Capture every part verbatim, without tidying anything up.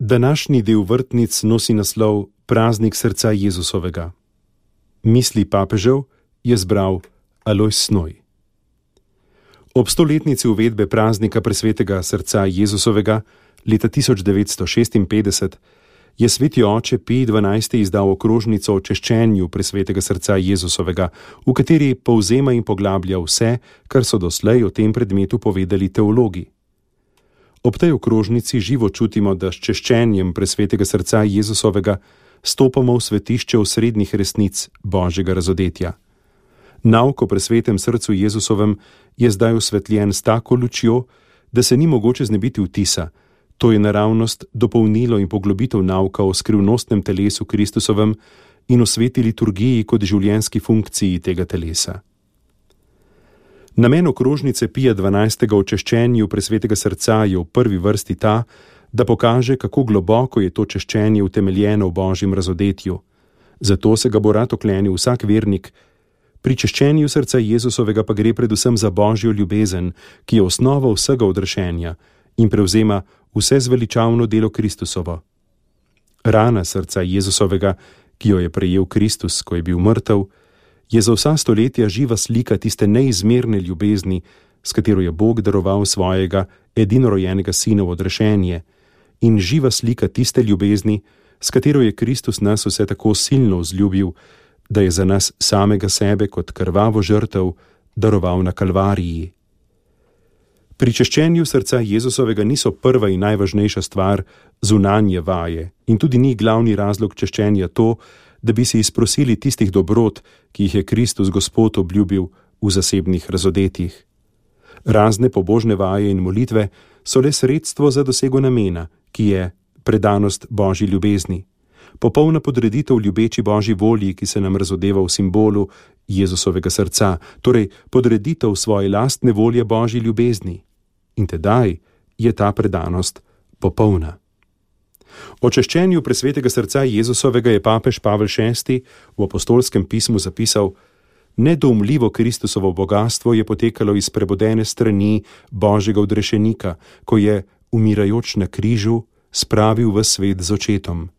Današnji del vrtnic nosi naslov Praznik srca Jezusovega. Misli papežev je zbral Alojz Snoj. Ob stoletnici uvedbe praznika presvetega srca Jezusovega leta tisoč devetsto šestinpetdeset je sveti oče Pij dvanajsti izdal okrožnico o češčenju presvetega srca Jezusovega, v kateri povzema in poglablja vse, kar so doslej o tem predmetu povedali teologi. Ob tej okrožnici živo čutimo, da s češčenjem presvetega srca Jezusovega stopamo v svetišče osrednjih resnic Božjega razodetja. Nauk o presvetem srcu Jezusovem je zdaj osvetljen s tako lučjo, da se ni mogoče znebiti vtisa. To je naravnost, dopolnilo in poglobitev nauka o skrivnostnem telesu Kristusovem in o sveti liturgiji kot življenjski funkciji tega telesa. Namen okrožnice Pija dvanajstega o češčenju presvetega srca je v prvi vrsti ta, da pokaže, kako globoko je to češčenje utemeljeno v Božjem razodetju. Zato se ga bo rad oklenil vsak vernik. Pri češčenju srca Jezusovega pa gre predvsem za Božjo ljubezen, ki je osnova vsega odrešenja in prevzema vse zveličavno delo Kristusovo. Rana srca Jezusovega, ki jo je prejel Kristus, ko je bil mrtev, je za vsa stoletja živa slika tiste neizmerne ljubezni, s katero je Bog daroval svojega edinorojenega sina v odrešenje, in živa slika tiste ljubezni, s katero je Kristus nas vse tako silno vzljubil, da je za nas samega sebe kot krvavo žrtev daroval na Kalvariji. Pri češčenju srca Jezusovega niso prva in najvažnejša stvar zunanje vaje in tudi ni glavni razlog češčenja to, da bi si izprosili tistih dobrot, ki jih je Kristus Gospod obljubil v zasebnih razodetjih. Razne pobožne vaje in molitve so le sredstvo za dosego namena, ki je predanost Božji ljubezni. Popolna podreditev ljubeči Božji volji, ki se nam razodeva v simbolu Jezusovega srca, torej podreditev svoje lastne volje Božji ljubezni. In tedaj je ta predanost popolna. O češčenju presvetega srca Jezusovega je papež Pavel šesti v apostolskem pismu zapisal: Nedoumljivo Kristusovo bogastvo je potekalo iz prebodene strani Božjega odrešenika, ko je, umirajoč na križu, spravil v svet z očetom.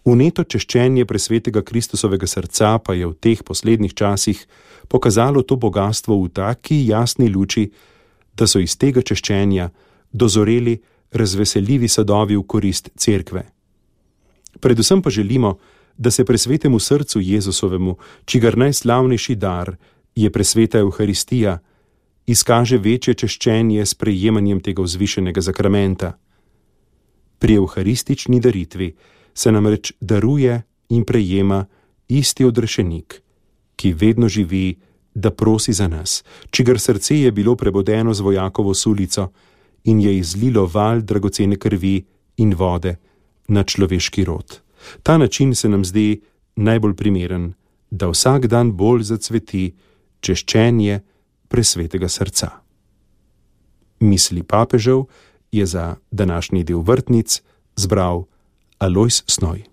Vneto češčenje presvetega Kristusovega srca pa je v teh poslednjih časih pokazalo to bogastvo v taki jasni luči, da so iz tega češčenja dozoreli razveseljivi sadovi v korist cerkve. Predvsem pa želimo, da se presvetemu srcu Jezusovemu, čigar najslavnejši dar je presveta Evharistija, izkaže večje češčenje s prejemanjem tega vzvišenega zakramenta. Pri evharistični daritvi se namreč daruje in prejema isti odrešenik, ki vedno živi, da prosi za nas, čigar srce je bilo prebodeno z vojakovo sulico in je izlilo val dragocene krvi in vode na človeški rod. Ta način se nam zdi najbolj primeren, da vsak dan bolj zacveti češčenje presvetega srca. Misli papežev je za današnji del vrtnic zbral Alojz Snoj.